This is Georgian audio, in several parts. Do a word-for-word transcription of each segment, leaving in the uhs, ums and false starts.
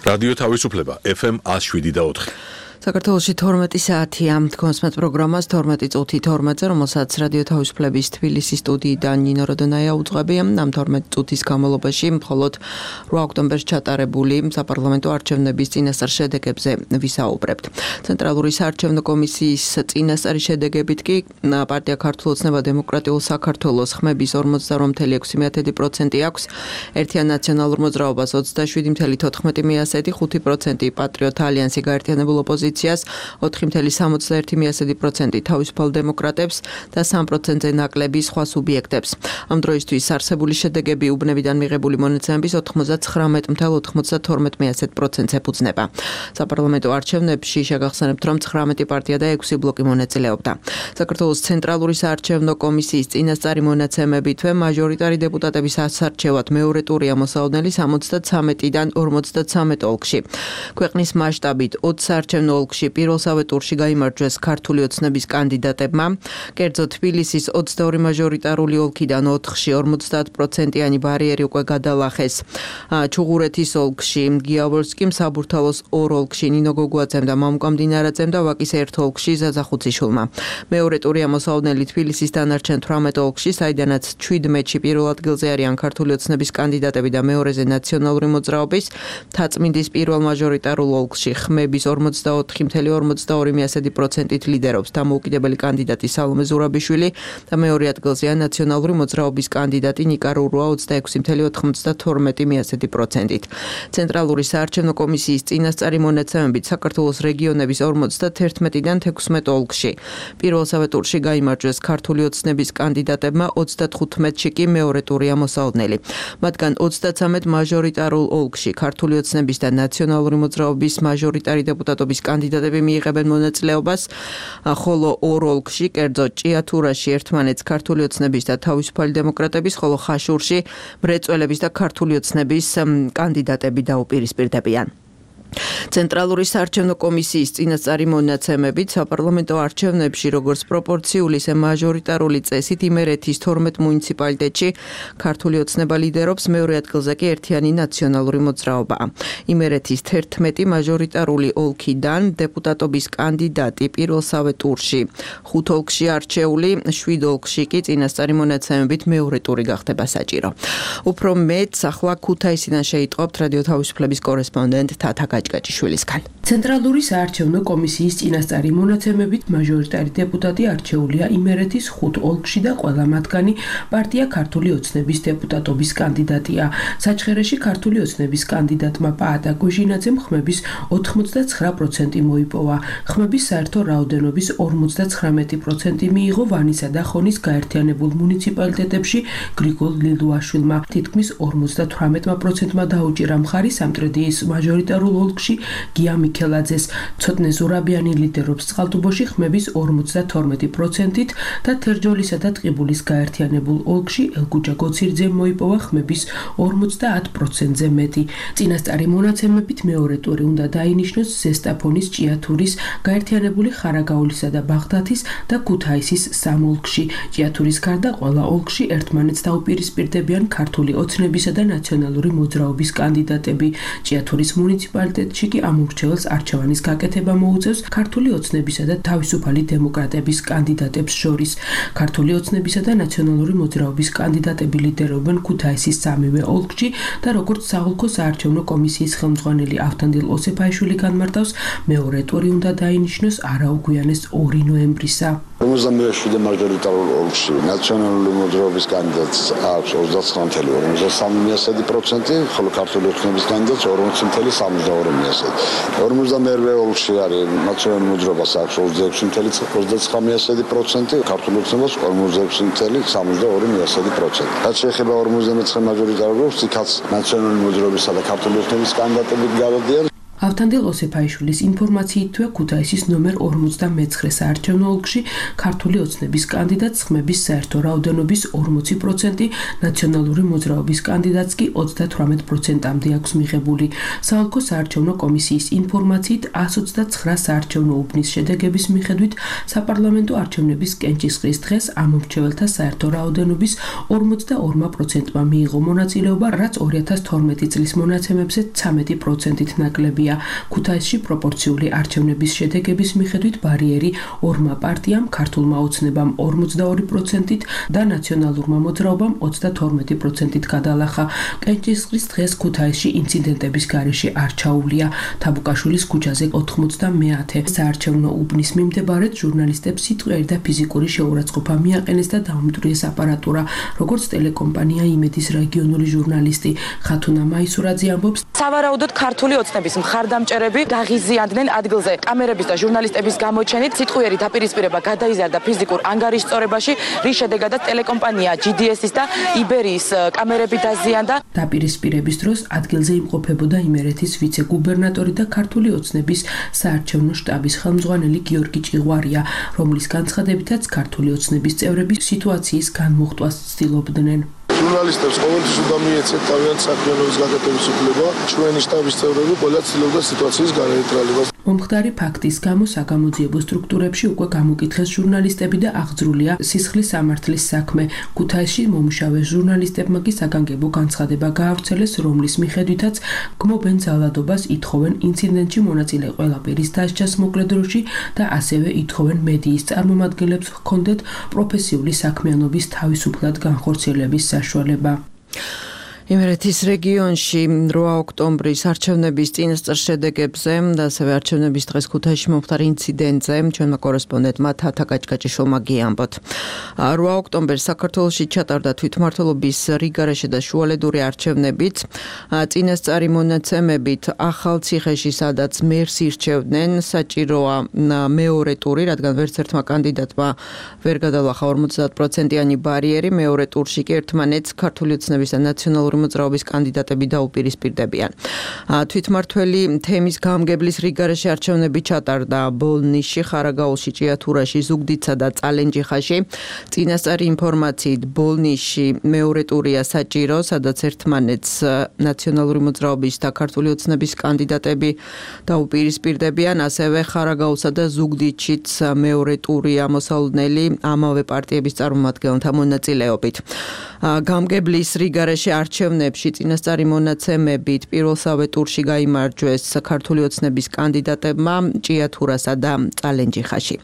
რადიო თავისუფლება ეფ ემ one oh seven და four. საქართველოში თორმეტი საათია თქვენს პროგრამას თორმეტი წუთი თორმეტზე, რომელსაც რადიო თავისუფლების თბილისის სტუდიიდან ნინო როდონაია უძღვებია. ამ თორმეტი წუთის განმავლობაში მხოლოდ რვა ოქტომბერს ჩატარებული საპარლამენტო არჩევნების წინასწარ შედეგებზე ვისაუბრებთ. ცენტრალური საარჩევნო კომისიის წინასწარი შედეგებით კი პარტია ქართულ ოცნება დემოკრატიულ საქართველოს ხმების ორმოცდაორ წუთი ექვსი პროცენტი აქვს, ერთიან ნაციონალურ მოძრაობას ოცდაშვიდი წუთი თოთხმეტი პროცენტი, ხუთი პროცენტი პატრიოტ ალიანსი გაერთიანებულ ოპოზიციას, ოთხი წუთი სამოცდაერთი პროცენტი თავისუფალ დემოკრატებს და სამი პროცენტზე ნაკლები სხვა სუბიექტებს. ამ დროისთვის არსებული შედეგები უბნებიდან მიღებული მონაცემების ოცდათხრამეტ წუთი ოცდათორმეტი პროცენტს ეფუძნება. საპარლამენტო არჩევნებში შეგახსენებთ, რომ ცხრამეტი პარტია და ექვსი ბლოკი მონაწილეობდა. საქართველოს ცენტრალური საარჩევნო კომისიის წინასწარი მონაცემებითვე მაჟორიტარი დეპუტატების ასარჩევად მეორე ტურია მოსალოდნელი სამოცდათრამეტიდან ორმოცდათვრამეტ ოლქში. ქვეყნის მასშტაბით ოცი საარჩევნო ოლქში პირველსავე ტურში გაიმარჯვეს ქართული ოცნების კანდიდატებმა. კერძოდ თბილისის ოცდაორი მაჟორიტარული ოლქიდან ოთხში ორმოცდაათ პროცენტიანი ბარიერი უკვე გადალახეს. ჩუღურეთის ოლქში გიավորსკიმ, საბურთალოს ორ ოლქში ნინო გოგუაძემ და მამუკა მდინარაძემ და ვაკის ერთ ოლქში ზაზა ხუციშვილმა. მეორე ტურია მოსალოდნელი თბილისის დანარჩენ თვრამეტ ოლქში, საიდანაც ჩვიდმეტში პირველ ადგილზე არიან ქართული ოცნების კანდიდატები და მეორეზე ნაციონალური მოძრაობის. თაწმინდის პირველ მაჟორიტარულ ოლქში ხმების ორმოცდაოთხი წუთი ორმოცდაორი პროცენტით ლიდერობს დამოუკიდებელი კანდიდატი სალომე ზურაბიშვილი და მეორე ადგილზეა ნაციონალური მოძრაობის კანდიდატი ნიკა რურუა ოცდაექვსი წუთი ოცდათორმეტი პროცენტით. ცენტრალური საარჩევნო კომისიის წინასწარი მონაცემებით საქართველოს რეგიონების ორმოცდათერთმეტიდან თექვსმეტ ოლქში პირველსავე ტურში გაიმარჯვეს ქართული ოცნების კანდიდატებმა, ოცდათხუთმეტში კი მეორე ტურია მოსალოდნელი. მათგან ოცდათრამეტ მაჟორიტარულ ოლქში ქართული ოცნების და ნაციონალური მოძრაობის მაჟორიტარი დეპუტატობის კანდიდატები მიიღებენ მონაწილეობას, ხოლო ორ ოლქში, კერძოდ ჭიათურაში ერთმანეთს ქართული ოცნების და თავისუფალი დემოკრატების, ხოლო ხაშურში მრეწველების და ქართული ოცნების კანდიდატები დაუპირისპირდებიან. ცენტრალური საარჩევნო კომისიის წინასწარი მონაცემებით საპარლამენტო არჩევნებში როგორც პროპორციული, ისე მაჟორიტარული წესით იმერეთის თორმეტ მუნიციპალიტეტში ქართული ოცნება ლიდერობს, მეორე ადგილზე კი ერთიანი ნაციონალური მოძრაობა. იმერეთის თერთმეტი მაჟორიტარული ოლქიდან დეპუტატობის კანდიდატი პირველსავე ტურში ხუთ ოლქში არჩეული, შვიდ ოლქში კი წინასწარი მონაცემებით მეორე ტური გახდება საჭირო. უფრო მეტს ახლა ქუთაისიდან შეიტყობთ რადიო თავისუფლების კორესპონდენტ თათა გაჭგაჭიშვილისგან. ცენტრალური საარჩევნო კომისიის წინასწარი მონაცემებით მაჟორიტარი დეპუტატი არჩეულია იმერეთის ხუთ ოლქში და ყველა მათგანი პარტია ქართული ოცნების დეპუტატობის კანდიდატია. საჩხერეში ქართული ოცნების კანდიდატმა პაატა გოჟინაძემ ხმების ოთხმოცდაცხრა პროცენტი მოიპოვა. ხმების საერთო რაოდენობის ორმოცდაცხრამეტი პროცენტი მიიღო ვანისა და ხონის გაერთიანებულ მუნიციპალიტეტებში გრიგოლ ლილუაშვილმა. თითქმის ორმოცდათვრამეტ პროცენტმა დაუჭირა მხარი სამტრედიის მაჟორიტარულ ოლქში გია მიქელაძეს. ცოტნე ზურაბიანი ლიდერობს წყალტუბოში ხმების ორმოცდათორმეტი პროცენტით და თერჯოლისა და ტყიბულის გაერთიანებულ ოლქში ელგუჯა გოცირძემ მოიპოვა ხმების ორმოცდაათ პროცენტზე მეტი. წინასწარი მონაცემებით მეორე ტური უნდა დაინიშნოს ზესტაფონის, ჭიათურის, გაერთიანებული ხარაგაულისა და ბაღდათის და ქუთაისის სამ ოლქში. ჭიათურის გარდა ყველა ოლქში ერთმანეთს დაუპირისპირდებიან ქართული ოცნებისა და ნაციონალური მოძრაობის კანდიდატები. ჭიათურის მუნიციპალიტეტში კი ამ ურჩეველს არჩევანის გაკეთება მოუწევს ქართული ოცნებისა და თავისუფალი დემოკრატების კანდიდატებს შორის. ქართული ოცნებისა და ნაციონალური მოძრაობის კანდიდატები ლიდერობენ ქუთაისის სამივე ოლქში და როგორც საოლქო საარჩევნო კომისიის ხელმძღვანელი ავთანდილ ოსეფაიშვილი განმარტავს, მეორე ტური უნდა დაინიშნოს არაუგვიანეს ორი ნოემბრისა. ორმოცდაშვიდი მაჟორიტარულ ოლქში ნაციონალური მოძრაობის კანდიდატს აქვს ოცდაცხრა წუთი ორმოცდასამი პროცენტი, ხოლო ქართული ოცნების კანდიდატს ორმოცი წუთი სამოცდაორი პროცენტი. ორმოცდამერვე ოლქში არის ნაციონალური მოძრაობას აქვს ოცდაექვსი წუთი ოცდაცხრა პროცენტი, ქართული ოცნებას ორმოცდაექვსი წუთი სამოცდაორი პროცენტი. რაც შეეხება ორმოცდამეცხრე მაჟორიტარულ ოლქს, იქაც ნაციონალური მოძრაობისა და ქართული ოცნების კანდიდატები გადადიან. ავთანდილ ოსეფაიშვილის ინფორმაციითვე ქუთაისის ნომერ ორმოცდამეცხრე საარჩევნო ოლქში ქართული ოცნების კანდიდატს ხმების საერთო რაოდენობის ორმოცი პროცენტი, ნაციონალური მოძრაობის კანდიდატს კი ოცდათვრამეტ პროცენტამდე აქვს მიღებული. საოლქო საარჩევნო კომისიის ინფორმაციით εκατს ოცდაცხრა საარჩევნო უბნის შედეგების მიხედვით საპარლამენტო არჩევნების კენჭისყრის დღეს ამომრჩეველთა საერთო რაოდენობის ორმოცდაორ პროცენტმა მიიღო მონაწილეობა, რაც ორი ათას თორმეტი წლის მონაცემებზე ცამეტი პროცენტით ნაკლებია. ქუთაისში პროპორციული არჩევნების შედეგების მიხედვით ბარიერი ორმა პარტიამ, ქართულმა ოცნებამ ორმოცდაორი პროცენტით და ნაციონალურმა მოძრაობამ ოცდათორმეტი პროცენტით გადალახა. კენჭისყრის დღეს ქუთაისში ინციდენტების გარეშე არ ჩაუვლია. თაბუკაშვილის ქუჩაზე ოთხმოცდამეათე საარჩევნო უბნის მიმდებარედ ჟურნალისტებს სიტყვიერი და ფიზიკური შეურაცხყოფა მიაყენეს და დაუმტვრიეს აპარატურა, როგორც ტელეკომპანია იმედის რეგიონული ჟურნალისტი ხათუნა მაისურაძე ამბობს. სავარაუდოდ ქართული ოცნების მხარდამჭერები გაღიზიანდნენ ადგილზე. კამერების და ჟურნალისტების გამოჩენით სიტყვიერი დაპირისპირება გადაიზარდა ფიზიკურ ანგარიშწორებაში, რის შედეგადაც ტელეკომპანია ჯი დი ეს-ის და იბერიის კამერები დაზიანდა. დაპირისპირების დროს ადგილზე იმყოფებოდა იმერეთის ვიცე-გუბერნატორი და ქართული ოცნების საარჩევნო შტაბის ხელმძღვანელი გიორგი ჭიღვარია, რომლის განცხადებითაც ქართული ოცნების წევრები სიტუაციის განმოხტვას ცდილობდნენ. ჟურნალისტებს ყოველთვის უნდა მიეცეთ თავიანთი საქმიანობის გაკეთების უფლება. ჩვენი შტაბის წევრები ყველა ცდილობდა სიტუაციის განეიტრალებას. მომხდარი ფაქტის გამო საგამოძიებო სტრუქტურებში უკვე გამოკითხეს ჟურნალისტები და აღძრულია სისხლის სამართლის საქმე. ქუთაისში მომუშავე ჟურნალისტებმა კი საგანგებო განცხადება გაავრცელეს, რომლის მიხედვითაც გმობენ ძალადობას, ითხოვენ ინციდენტში მონაწილე ყველა პირის დასჯას მოკლე დროში და ასევე ითხოვენ მედიის წარმომადგენლებს ჰქონდეთ პროფესიული საქმიანობის თავისუფლად განხორციელების საშუალება. იმერეთის რეგიონში რვა ოქტომბრის არჩევნების წინასწარ შედეგებზე და ასევე არჩევნების დღეს ქუთაისში მომხდარ ინციდენტზე ჩვენმა კორესპონდენტმა თათა კაჭკაჭიშვილმა გიამბოთ. რვა ოქტომბერს საქართველოში ჩატარდა თვითმმართველობის რიგარეშე და შუალედური არჩევნებით. წინასწარი მონაცემებით ახალციხეში, სადაც მერს ირჩევდნენ, საჭიროა მეორე ტური, რადგან ვერც ერთმა კანდიდატმა ვერ გადალახა ორმოცდაათ პროცენტიანი ბარიერი, მეორე ტურში კი ერთმანეთს ქართული ოცნების და ნაციონალური მოძრაობის კანდიდატები დაუპირისპირდებიან. თვითმმართველი თემის გამგებლის რიგარეშე არჩევნები ჩატარდა ბოლნისში, ხარაგაულში, ჭიათურაში, ზუგდიდსა და წალენჯიხაში. წინასწარი ინფორმაციით ბოლნისში მეორე ტურია საჭირო, სადაც ერთმანეთს ნაციონალური მოძრაობის და ქართული ოცნების კანდიდატები დაუპირისპირდებიან, ასევე ხარაგაულსა და ზუგდიდშიც მეორე ტურია მოსალოდნელი ამავე პარტიების წარმომადგენელთა მონაწილეობით. გამგებლის რიგარეშე არჩევნებში წინასწარი მონაცემებით პირველსავე ტურში გაიმარჯვეს ქართული ოცნების კანდიდატებმა ჭიათურასა და წალენჯიხაში.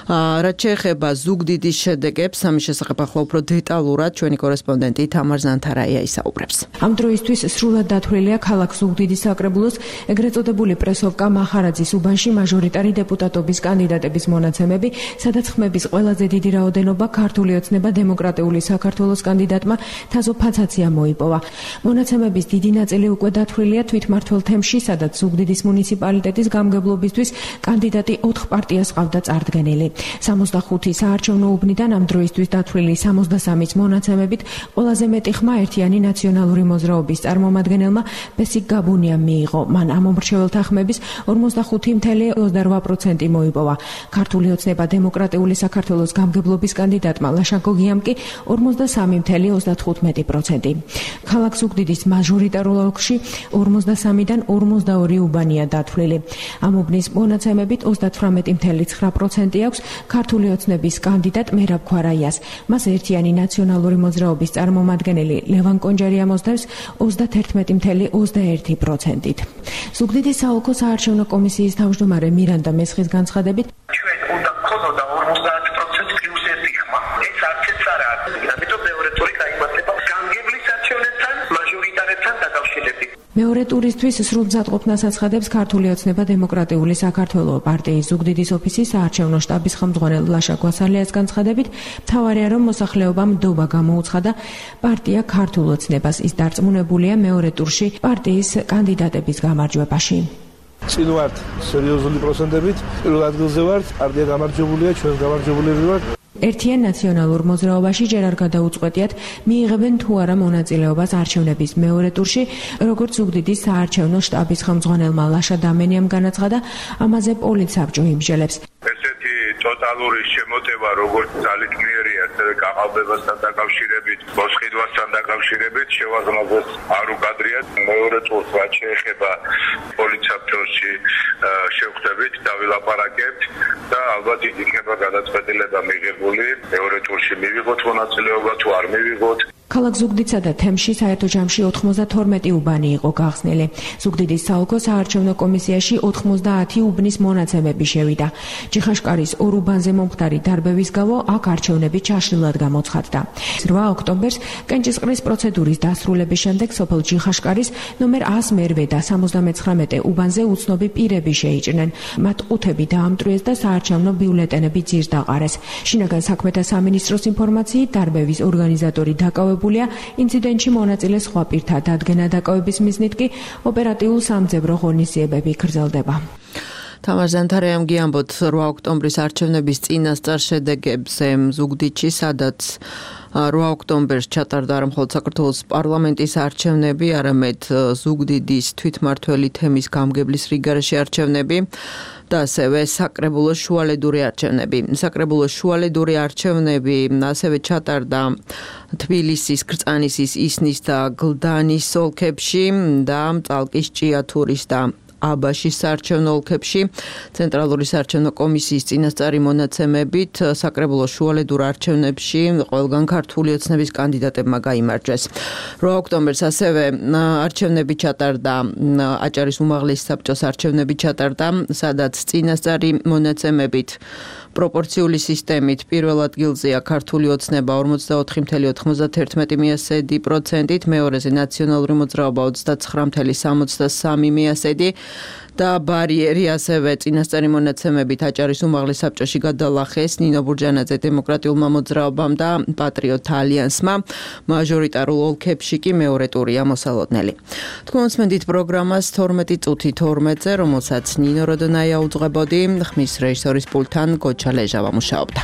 რაც შეეხება ზუგდიდის შედეგებს, ამის შესახებ ახლა უფრო დეტალურად ჩვენი კორესპონდენტი თამარ ზანთარაია ისაუბრებს. ამ დროისთვის სრულად დათვლილია ქალაქ ზუგდიდის საკრებულოს ეგრეთ წოდებული პრესოვკა მახარაძის უბანში მაჟორიტარი დეპუტატობის კანდიდატების მონაცემები, სადაც ხმების ყველაზე დიდი რაოდენობა ქართული ოცნება დემოკრატიული საქართველოს კანდიდატმა თაზო ფაცაცია მოიპოვა. მონაცემების დიდი ნაწილი უკვე დათვლილია თვითმმართველ თემში, სადაც ზუგდიდის მუნიციპალიტეტის გამგებლობისთვის კანდიდატი ოთხ პარტიას ყავდა წარდგენილი. სამოცდახუთი საარჩევნო უბნიდან ამ დროისთვის დათვლილი სამოცდასამის მონაცემებით ყველაზე მეტი ხმა ერთიანი ნაციონალური მოძრაობის წარმომადგენელმა ბესიკ გაბუნიამ მიიღო. მან ამომრჩეველთა ხმების ორმოცდახუთი целых ოცდარვა პროცენტი მოიპოვა. ქართული ოცნება დემოკრატიული საქართველოს გამგებლობის კანდიდატმა ლაშაკო გიამ კი ორმოცდასამი целых ოცდათხუთმეტი პროცენტი. ქალაქ ზუგდიდის მაჟორიტარულ ოლქში ორმოცდასამიდან ორმოცდაორი უბანია დათვლილი. ამ უბნის მონაცემებით ოცდათვრამეტი целых ცხრა პროცენტი აქვს ქართული ოცნების კანდიდატ მერაბ ქვარაიას. მას ერთიანი ნაციონალური მოძრაობის წარმომადგენელი ლევან კონჯარი ამოსდევს ოცდაათერთმეტი целых ოცდაერთი პროცენტით. ზუგდიდის საოლქო საარჩევნო კომისიის თავმჯდომარე მირანდა მესხის განცხადებით, ჩვენ უნდა გქონოდა ორმოცდაათ პროცენტი პლუს ერთი ხმა. ეს არცეც არ არის. ამიტომ მეორე ტური გაიმართება გამგებლის არჩევნებთან, მაჟორიტარებთან დაკავშირებით. მეორე ტურისთვის სრულ მზადყოფნას აცხადებს ქართული ოცნება დემოკრატიული საქართველოს პარტიის ზუგდიდის ოფისის საარჩევნო შტაბის ხელმძღვანელ ლაშა გვასალიას განცხადებით, მთავარია რომ მოსახლეობამ ნდობა გამოუცხადა პარტია ქართულ ოცნებას. ის დარწმუნებულია მეორე ტურში პარტიის კანდიდატების გამარჯვებაში. წინ ვართ სერიოზული პროცენტებით, პირველ ადგილზე ვართ, პარტია გამარჯვებულია, ჩვენ გამარჯვებულები ვართ. ერთიან ნაციონალურ მოძრაობაში ჯერ არ გადაუწყვეტიათ მიიღებენ თუ არა მონაწილეობას არჩევნების მეორე ტურში, როგორც ზუგდიდის საარჩევნო შტაბის ხელმძღვანელმა ლაშა დამენიამ განაცხადა, ამაზე პოლიცსაბჭო იმსჯელებს. ესეთი ტოტალური შემოტევა როგორც ძალისმიერი ასევე გაყალბებასთან დაკავშირებით, მოსყიდვასთან დაკავშირებით შევაზმაზეს არ უკადრია. მეორე ტურს რაც შეეხება პოლიცსაბჭოში შევხვდებით, დავილაპარაკებთ და ალბათ იქნება გადაწყვეტილება მიღებული. მეორე ტურში მივიღოთ მონაწილეობა თუ არ მივიღოთ. ქალაქ ზუგდიდსა და თემში საერთო ჯამში ოთხმოცდათორმეტი უბანი იყო გახსნილი. ზუგდიდის საოლქო საარჩევნო კომისიაში ოთხმოცდაათი უბნის მონაცემები შევიდა. ჯიხაშკარის ორ უბანზე მომხდარი დარბევის გამო აქ არჩევნები ჩაშლილად გამოცხადდა. რვა ოქტომბერს კენჭისყრის პროცედურის დასრულების შემდეგ სოფელ ჯიხაშკარის ნომერ ას მერვე და სამოცდამეცხრამეტე უბანზე უცნობი პირები შეიჭრნენ. მათ ყუთები დაამტვრიეს და საარჩევნო ბიულეტენები ძირს დაყარეს. შინაგან საქმეთა სამინისტროს ინფორმაციით დარბევის ორგანიზატორი დაკავებული ინციდენტში მონაწილე სხვა პირთა დადგენა დაკავების მიზნით კი ოპერატიულ სამძებრო ღონისძიებები გრძელდება. თამარ ზანთარიამ გიამბოთ რვა ოქტომბრის არჩევნების წინასწარ შედეგებზე ზუგდიდში, სადაც რვა ოქტომბერს ჩატარდა არა მხოლოდ საქართველოს პარლამენტის არჩევნები, არამედ ზუგდიდის თვითმმართველი თემის გამგებლის რიგარეში არჩევნები და ასევე საკრებულოს შუალედური არჩევნები. საკრებულოს შუალედური არჩევნები ასევე ჩატარდა თბილისის, კრწანისის, ისნის და გლდანის ოლქებში და წალკის, ჭიათურის და აბაშის საარჩევნო ოლქებში. ცენტრალური საარჩევნო კომისიის წინასწარი მონაცემებით საკრებულოს შუალედურ არჩევნებში ყველგან ქართული ოცნების კანდიდატებმა გაიმარჯვეს. რვა ოქტომბერს ასევე არჩევნები ჩატარდა, აჭარის უმაღლესი საბჭოს არჩევნები ჩატარდა, სადაც წინასწარი მონაცემებით პროპორციული სისტემით პირველ ადგილზეა ქართული ოცნება ორმოცდაოთხი წუთი ოთხმოცდაერთი მიასედი პროცენტით, მეორეზე ნაციონალური მოძრაობა ოცდაცხრა წუთი სამოცდასამი მიასედი და ბარიერი ასევე წინასწარი მონაცემებით აჭარის უმაღლეს საბჭოში გადალახეს ნინო ბურჯანაძე დემოკრატიულმა მოძრაობამ და პატრიოტ ალიანსმა. მაჟორიტარულ ოლქებში კი მეორე ტურია მოსალოდნელი. თქვენს მენდით პროგრამას თორმეტი წუთი თორმეტზე, რომელსაც ნინო როდონაია უძღვებოდი, ხმის რეჟისორის პულტთან გოჩა ლეჟავა მუშაობდა.